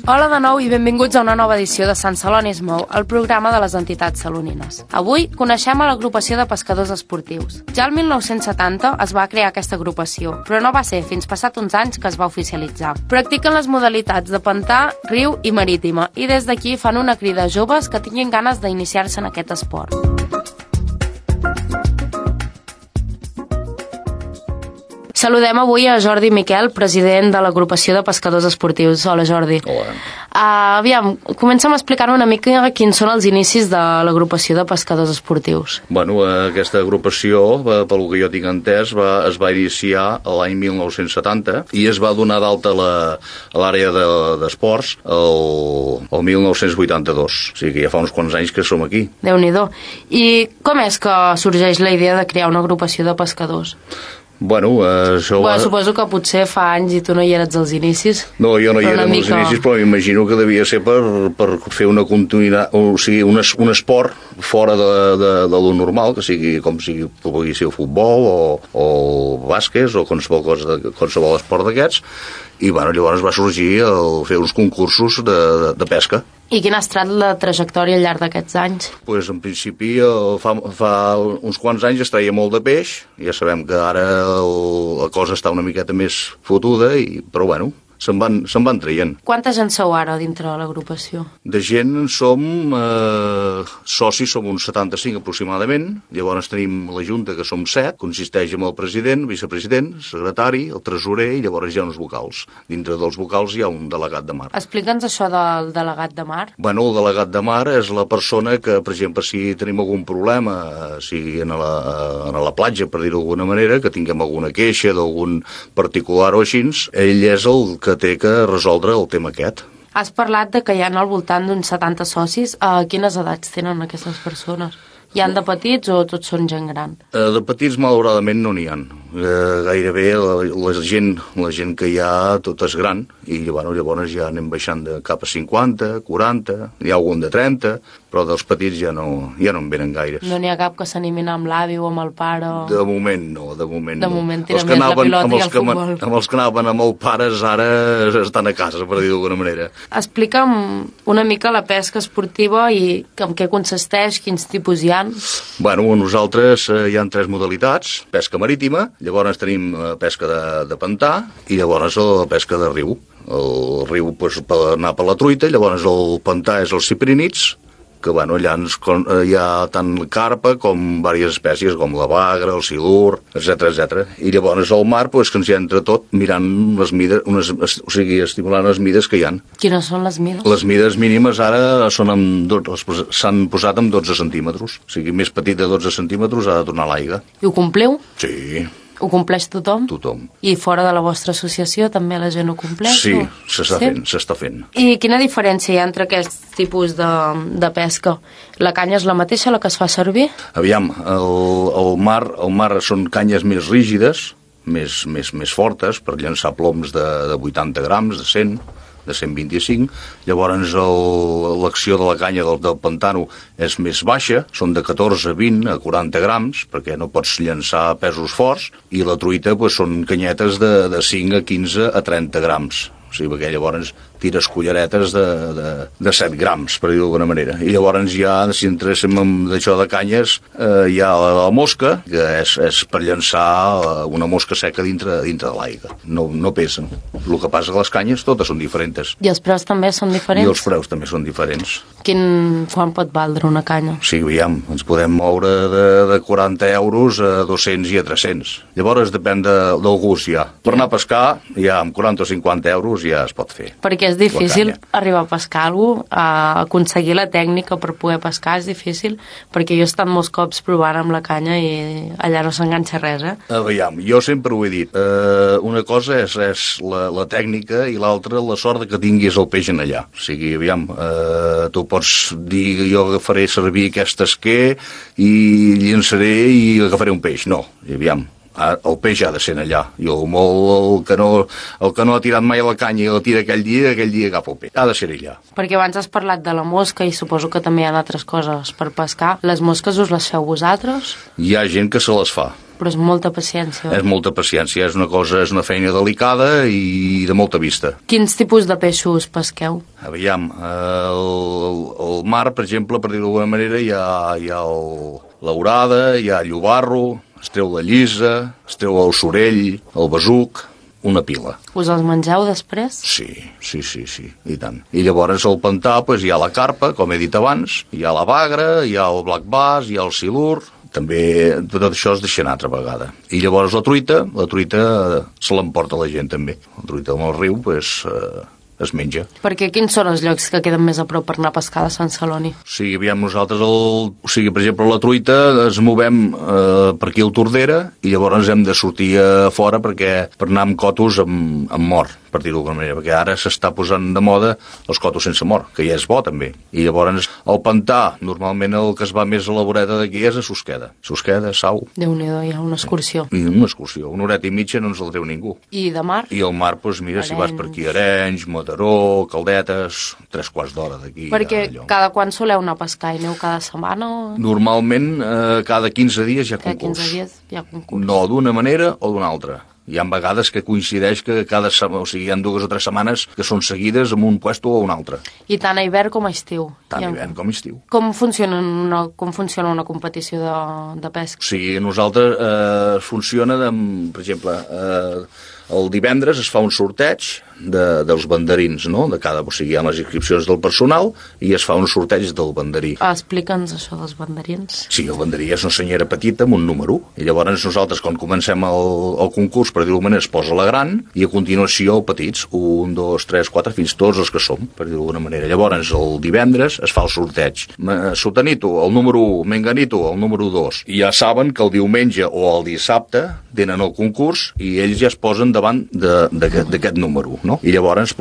Hola de nou i benvinguts a una nova edició de Sant Celoni es mou, el programa de les entitats salonines. Avui coneixem a l'agrupació de pescadors esportius. Ja el 1970 es va crear aquesta agrupació, però no va ser fins passat uns anys que es va oficialitzar. Practiquen les modalitats de pantà, riu i marítima, i des d'aquí fan una crida a joves que tinguin ganes d'iniciar-se en aquest esport. Saludem avui a Jordi Miquel, president de l'agrupació de pescadors esportius. Hola, Jordi. Hola. Aviam, comença'm a explicar una mica quins són els inicis de l'agrupació de pescadors esportius. Bueno, aquesta agrupació, pel que jo tinc entès, es va iniciar l'any 1970 i es va donar d'alta a l'àrea d'esports el 1982. O sigui que ja fa uns quants anys que som aquí. Déu-n'hi-do. I com és que sorgeix la idea de crear una agrupació de pescadors? Bueno, això... Suposo que potser fa anys i tu no hi eres als inicis. No, jo no hi era als inicis, però m'imagino que devia ser per fer una continuïtat, o sigui, un esport fora de lo normal, que sigui com sigui, pugui ser el futbol o bàsquet o qualsevol esport d'aquests, i bueno, llavors va sorgir fer uns concursos de pesca. I quina ha estat la trajectòria al llarg d'aquests anys? Pues, en principi, fa uns quants anys es treia molt de peix. Ja sabem que ara la cosa està una miqueta més fotuda, però bueno, se'n van traient. Quanta gent sou ara dintre de l'agrupació? De gent som socis, som uns 75 aproximadament. Llavors tenim la junta, que som 7, consisteix en el president, vicepresident, secretari, el tresorer i llavors hi ha uns vocals. Dintre dels vocals hi ha un delegat de mar. Explica'ns això del delegat de mar. Bueno, el delegat de mar és la persona que, per exemple, si tenim algun problema, sigui a la platja, per dir-ho d'alguna manera, que tinguem alguna queixa d'algun particular o així, ell és el que té que resoldre el tema aquest. Has parlat de que hi ha al voltant d'uns 70 socis. A quines edats tenen aquestes persones? Hi han de petits o tots són gent gran? De petits, malauradament, no n'hi ha. Gairebé la gent que hi ha tot és gran i llavors ja anem baixant de cap a 50, 40, hi ha algun de 30, però dels petits ja no en venen gaires. No n'hi ha cap que s'animin amb l'avi o amb el pare? De moment no. De moment tira més la pilota i el futbol. Amb els que anaven amb els pares ara estan a casa, per dir-ho d'alguna manera. Explica'm una mica la pesca esportiva i en què consisteix, quins tipus hi ha. Bueno, nosaltres hi ha 3 modalitats: pesca marítima, llavors tenim pesca de pantà i llavors la pesca de riu. El riu per anar per la truita, llavors el pantà és els ciprínids, que allà hi ha tant carpa com diverses espècies, com la bagra, el silur, etc. I llavors al mar, que ens hi entra tot mirant les mides, o sigui, estimulant les mides que hi ha. Quines són les mides? Les mides mínimes ara s'han posat amb 12 centímetres. O sigui, més petit de 12 centímetres ha de tornar a l'aigua. I ho compliu? Sí. Ho compleix tothom? Tothom. I fora de la vostra associació també la gent ho compleix? Sí, s'està fent. I quina diferència hi ha entre aquests tipus de pesca? La canya és la mateixa, la que es fa servir? Aviam, el mar són canyes més rígides, més fortes, per llançar ploms de 80 grams, de 100, de 125, llavors l'acció de la canya del pantano és més baixa, són de 14 a 20 a 40 grams, perquè no pots llançar pesos forts, i la truita són canyetes de 5 a 15 a 30 grams. O sigui, perquè llavors tires culleretes de 7 grams, per dir-ho d'alguna manera. I llavors ja, si entréssim amb d'això de canyes, hi ha la mosca, que és per llançar una mosca seca dintre de l'aigua. No pesen. El que passa que les canyes totes són diferents. I els preus també són diferents? I els preus també són diferents. Quan pot valdre una canya? Sí, aviam, ens podem moure de 40 euros a 200 i a 300. Llavors depèn del gust ja. Per anar a pescar, ja amb 40 o 50 euros ja es pot fer. Perquè és difícil arribar a pescar alguna cosa, aconseguir la tècnica per poder pescar és difícil, perquè jo he estat molts cops provant amb la canya i allà no s'enganxa res, Aviam, jo sempre ho he dit, una cosa és la tècnica i l'altra la sort que tinguis el peix en allà. O sigui, aviam, tu pots dir jo agafaré servir aquest esquer i llançaré i agafaré un peix. No, aviam. El peix ha de ser allà. I el que no ha tirat mai a la canya i la tira aquell dia agafa el peix. Ha de ser allà. Perquè abans has parlat de la mosca i suposo que també hi ha altres coses per pescar. Les mosques us les feu vosaltres? Hi ha gent que se les fa. Però és molta paciència. És molta paciència, és una feina delicada i de molta vista. Quins tipus de peixos pesqueu? Aviam, el mar, per exemple, per dir-ho d'alguna manera, hi ha l'aurada, hi ha el llobarro, es treu la llisa, es treu el sorell, el besuc, una pila. Us els mengeu després? Sí, i tant. I llavors al pantà hi ha la carpa, com he dit abans, hi ha la bagra, hi ha el black bass, hi ha el silur, també tot això es deixa anar altra vegada. I llavors la truita se l'emporta la gent també. La truita amb el riu, es menja. Perquè quins són els llocs que queden més a prop per anar a pescar de Sant Celoni? Aviam, nosaltres, per exemple, la truita ens movem per aquí al Tordera i llavors hem de sortir a fora per anar amb cotos amb mort, per dir-ho d'alguna manera, perquè ara s'està posant de moda els cotos sense mort, que ja és bo també. I llavors al pantà, normalment el que es va més a la voreta d'aquí és a Susqueda. Susqueda, Sau. Déu-n'hi-do, hi ha una excursió. I una excursió, una horeta i mitja no ens el treu ningú. I de mar? I el mar, mira, si vas per aquí, Arenys, Mataró, Caldetes, 3/4 d'hora d'aquí. Perquè cada quan soleu anar a pescar? I aneu cada setmana? Normalment, cada 15 dies hi ha concurs. Cada 15 dies hi ha concurs. No d'una manera o d'una altra. Hi ha vegades que coincideix que hi ha 2 o 3 setmanes que són seguides amb un puesto o un altre. I tant a hivern com a estiu? Tant a hivern com a estiu. Com funciona una competició de pesca? O sigui, nosaltres funciona, per exemple, el divendres es fa un sorteig dels banderins, no? O sigui, hi ha les inscripcions del personal i es fa un sorteig del banderí. Explica'ns això dels banderins. Sí, el banderí és una senyera petita amb un número, i llavors nosaltres, quan comencem el concurs, per dir-ho manera, es posa la gran, i a continuació petits, 1, 2, 3, 4, fins tots els que som, per dir-ho d'alguna manera. Llavors, el divendres es fa el sorteig. Sotanito, el número 1, Menganito, el número 2. I ja saben que el diumenge o el dissabte tenen el concurs i ells ja es posen davant d'aquest número, no? I llavors,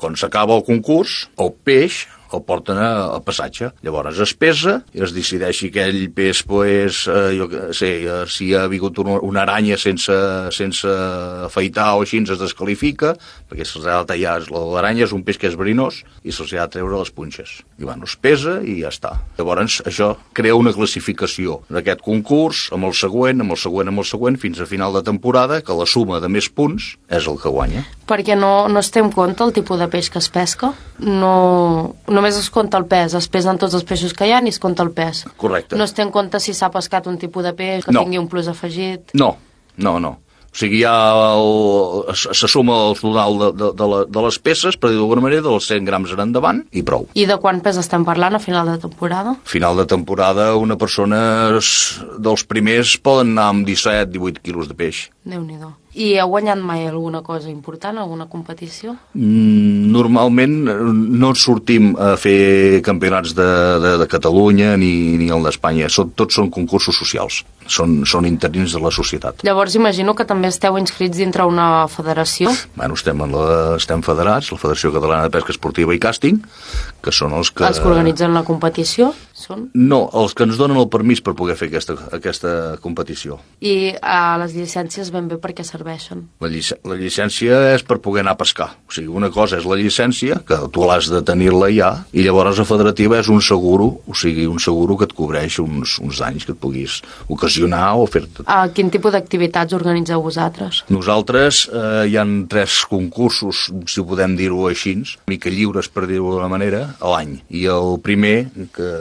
quan s'acaba el concurs, el peix el porten al passatge. Llavors es pesa i es decideix si aquell peix, si ha vingut una aranya sense afaitar o així, es desqualifica, perquè se'ls ha de tallar. L'aranya és un peix que és verinós i se'ls ha de treure les punxes. I es pesa i ja està. Llavors això crea una classificació d'aquest concurs amb el següent, fins a final de temporada, que la suma de més punts és el que guanya. Perquè no es té en compte el tipus de peix que es pesca? Només es compta el pes, es pesen tots els peixos que hi ha i es compta el pes. Correcte. No es té en compte si s'ha pescat un tipus de peix que tingui un plus afegit? No. O sigui, se suma el total de les peces, per dir-ho d'alguna manera, dels 100 grams en endavant, i prou. I de quant pes estem parlant a final de temporada? A final de temporada, una persona dels primers poden anar amb 17-18 quilos de peix. Déu-n'hi-do. I heu guanyat mai alguna cosa important, alguna competició? Normalment no sortim a fer campionats de Catalunya ni el d'Espanya. Tots són concursos socials. Són interins de la societat. Llavors imagino que també esteu inscrits dintre una federació? Bueno, estem federats, la Federació Catalana de Pesca Esportiva i Càsting, que són els que organitzen la competició? No, els que ens donen el permís per poder fer aquesta competició. I les llicències ben bé per què serveixen? La llicència és per poder anar a pescar. O sigui, una cosa és la llicència, que tu l'has de tenir-la ja, i llavors la federativa és un seguro, o sigui, un seguro que et cobreix uns danys que et puguis ocasionar o fer-te. Quin tipus d'activitats organitzeu vosaltres? Nosaltres hi ha 3 concursos, si ho podem dir-ho així, mica lliures, per dir-ho d'una manera, a l'any. I el primer, que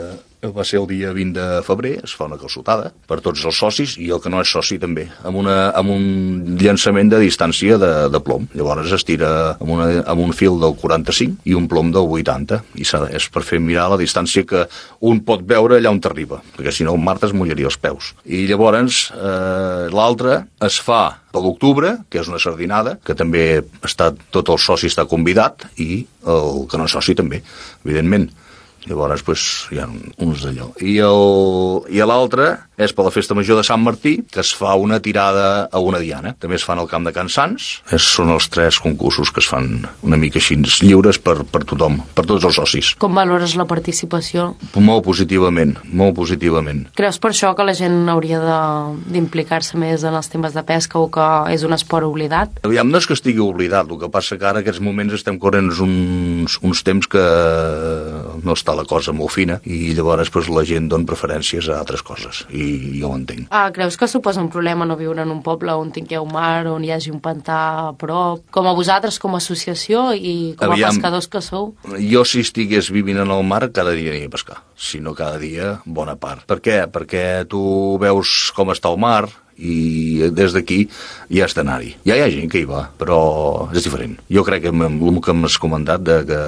va ser el dia 20 de febrer, es fa una calçotada per tots els socis i el que no és soci també, amb un llançament de distància de plom. Llavors es tira amb un fil del 45 i un plom del 80, i és per fer mirar la distància que un pot veure allà on t'arriba, perquè si no el Marta es mullaria els peus. I llavors l'altre es fa per l'octubre, que és una sardinada, que també tot el soci està convidat i el que no és soci també, evidentment. Llavors, hi ha uns d'allò. I l'altre és per la Festa Major de Sant Martí, que es fa una tirada a una diana. També es fan al Camp de Can Sants. Són els 3 concursos que es fan una mica així lliures per tothom, per tots els socis. Com valores la participació? Molt positivament, molt positivament. Creus per això que la gent hauria d'implicar-se més en els temes de pesca o que és un esport oblidat? Aviam, no és que estigui oblidat, el que passa que ara en aquests moments estem corrent uns temps que no està la cosa molt fina i llavors la gent dona preferències a altres coses i i jo ho entenc. Creus que suposa un problema no viure en un poble on tingueu mar, on hi hagi un pantà a prop? Com a vosaltres, com a associació i com a pescadors que sou? Jo, si estigués vivint en el mar, cada dia aniria a pescar. Si no cada dia, bona part. Per què? Perquè tu veus com està el mar, i des d'aquí ja has d'anar-hi. Ja hi ha gent que hi va, però és diferent. Jo crec que amb el que m'has comentat que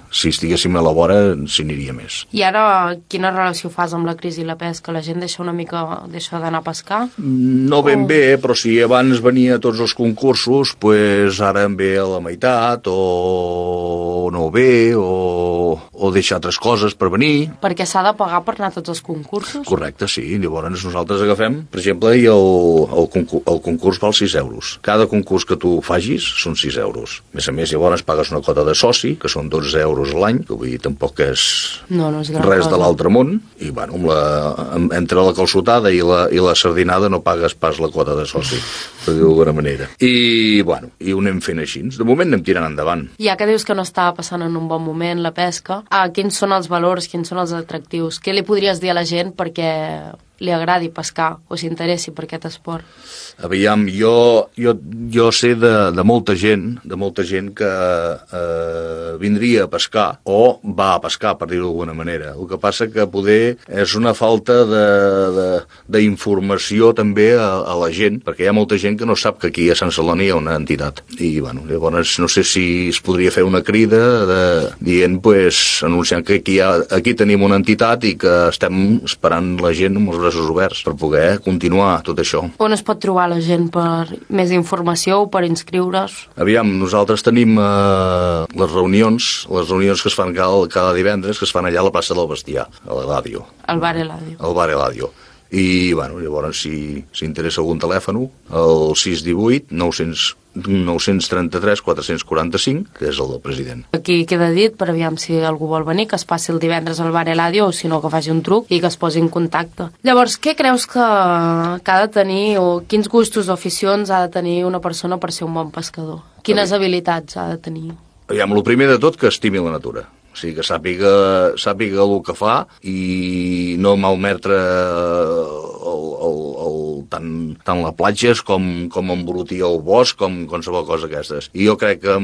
si estiguéssim a la vora s'hi aniria més. I ara quina relació fas amb la crisi i la pesca? La gent deixa d'anar a pescar? No ben bé, però si abans venia a tots els concursos, pues ara en ve a la meitat, o no ve, o deixa altres coses per venir. Perquè s'ha de pagar per anar a tots els concursos? Correcte, sí. Llavors nosaltres agafem, per exemple, i el concurs val 6 euros. Cada concurs que tu facis són 6 euros. A més, llavors pagues una quota de soci, que són 12 euros a l'any, que vull dir, tampoc és, no és res de l'altre món, i bueno, entre la calçotada i la sardinada no pagues pas la quota de soci, per dir-ho d'alguna manera. I bueno, i ho anem fent així. De moment anem tirant endavant. Ja que dius que no està passant en un bon moment la pesca, quins són els valors, quins són els atractius? Què li podries dir a la gent perquè li agradi pescar o s'interessi per aquest esport? Aviam, jo sé de molta gent que vindria a pescar o va a pescar, per dir-ho d'alguna manera. El que passa que poder és una falta d'informació també a la gent, perquè hi ha molta gent que no sap que aquí a Sant Celoni hi ha una entitat. I bueno, llavors no sé si es podria fer una crida dient, pues, anunciant que aquí tenim una entitat i que estem esperant la gent amb els braços oberts per poder continuar tot això. On es pot trobar la gent per més informació o per inscriure's? Aviam, nosaltres tenim les reunions que es fan cada divendres, que es fan allà a la plaça del Bestiar, a l'Eladio. Al bar Eladio. Al bar Eladio. I, bueno, llavors, si interessa algun telèfon, el 618 933 445, que és el del president. Aquí queda dit, per aviam si algú vol venir, que es passi el divendres al bar Eladio, o si no, que faci un truc i que es posi en contacte. Llavors, què creus que ha de tenir, o quins gustos o aficions ha de tenir una persona per ser un bon pescador? Quines habilitats ha de tenir? Aviam, el primer de tot, que estimi la natura. O sigui, que sàpiga el que fa i no malmetre tant la platja com embrutir el bosc, com qualsevol cosa d'aquestes. I jo crec que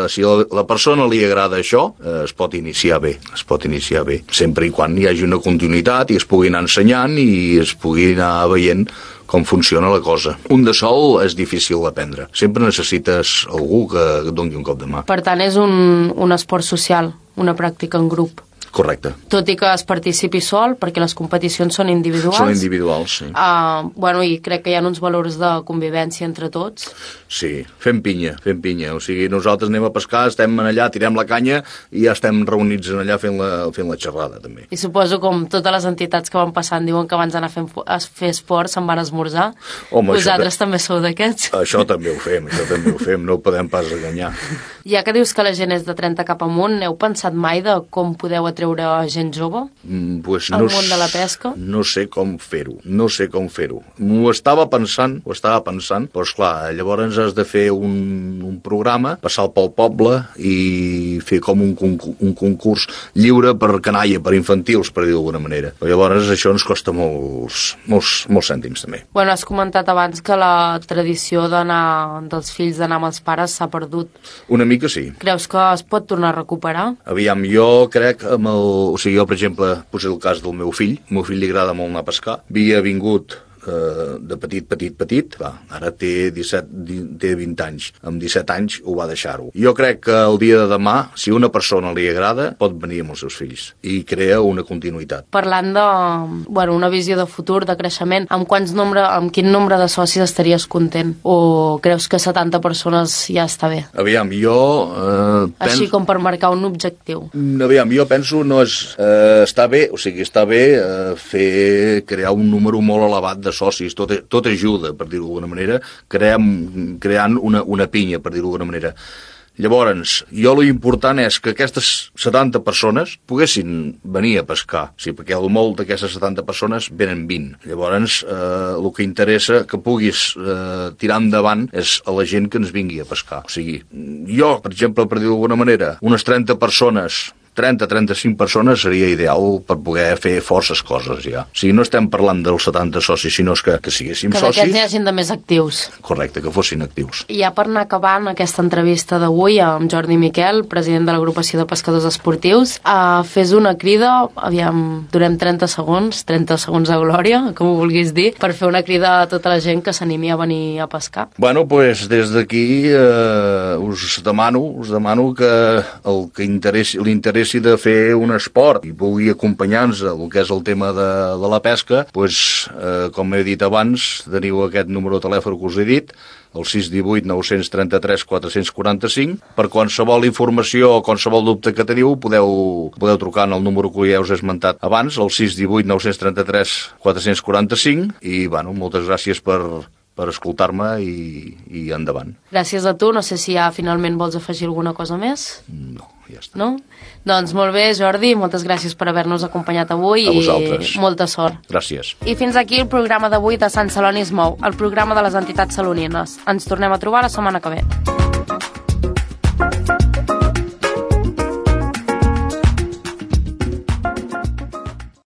si a la persona li agrada això, es pot iniciar bé, sempre i quan hi hagi una continuïtat i es pugui anar ensenyant i es pugui anar veient com funciona la cosa. Un de sol és difícil d'aprendre. Sempre necessites algú que et doni un cop de mà. Per tant, és un esport social, una pràctica en grup. Correcte. Tot i que es participi sol, perquè les competicions són individuals. Són individuals, sí. I crec que hi ha uns valors de convivència entre tots. Sí, fem pinya. O sigui, nosaltres anem a pescar, estem allà, tirem la canya i ja estem reunits allà fent la xerrada, també. I suposo, com totes les entitats que van passant diuen que abans d'anar a fer esport se'n van esmorzar. Home, vosaltres també sou d'aquests? Això també ho fem, no ho podem pas enganyar. Ja que dius que la gent és de 30 cap amunt, heu pensat mai de com podeu atreure gent jove al món de la pesca? No sé com fer-ho. M'ho estava pensant, però esclar, llavors has de fer un programa, passar pel poble i fer com un concurs lliure per canalla, per infantils, per dir d'alguna manera. Però llavors això ens costa molts cèntims, també. Bueno, has comentat abans que la tradició dels fills d'anar amb els pares s'ha perdut. Una mica sí. Creus que es pot tornar a recuperar? Aviam, jo crec o sigui, jo, per exemple, posé el cas del meu fill. Al meu fill li agrada molt anar a pescar. Havia vingut de petit, ara té 20 anys. Amb 17 anys ho va deixar-ho. Jo crec que el dia de demà, si una persona li agrada, pot venir amb els seus fills i crea una continuïtat. Parlant una visió de futur, de creixement, amb quin nombre de socis estaries content? O creus que 70 persones ja està bé? Aviam, jo... Així com per marcar un objectiu. Aviam, jo penso està bé crear un número molt elevat de socis, tot ajuda, per dir-ho d'alguna manera, creant una pinya, per dir-ho d'alguna manera. Llavors, l'important és que aquestes 70 persones poguessin venir a pescar, perquè el molt d'aquestes 70 persones venen 20. Llavors, el que interessa que puguis tirar endavant és a la gent que ens vingui a pescar. O sigui, jo, per exemple, per dir-ho d'alguna manera, unes 30 persones 30-35 persones seria ideal per poder fer forces coses ja. O sigui, no estem parlant dels 70 socis, sinó que siguéssim socis... Que d'aquests n'hi hagin de més actius. Correcte, que fossin actius. I ja per anar acabant aquesta entrevista d'avui amb Jordi Miquel, president de l'agrupació de pescadors esportius, fes una crida, aviam, durem 30 segons de glòria, com ho vulguis dir, per fer una crida a tota la gent que s'animi a venir a pescar. Bueno, doncs des d'aquí us demano que el que li interessi de fer un esport i pugui acompanyar-nos el que és el tema de la pesca, doncs, com he dit abans, teniu aquest número de telèfon que us he dit, el 618 933 445. Per qualsevol informació o qualsevol dubte que teniu, podeu trucar en el número que ja us he esmentat abans, el 618 933 445, i bueno, moltes gràcies per escoltar-me i endavant. Gràcies a tu. No sé si ja finalment vols afegir alguna cosa més. No, ja està. No? Doncs molt bé, Jordi, moltes gràcies per haver-nos acompanyat avui i molta sort. Gràcies. I fins aquí el programa d'avui de Sant Celoni es mou, el programa de les entitats salonines. Ens tornem a trobar la setmana que ve.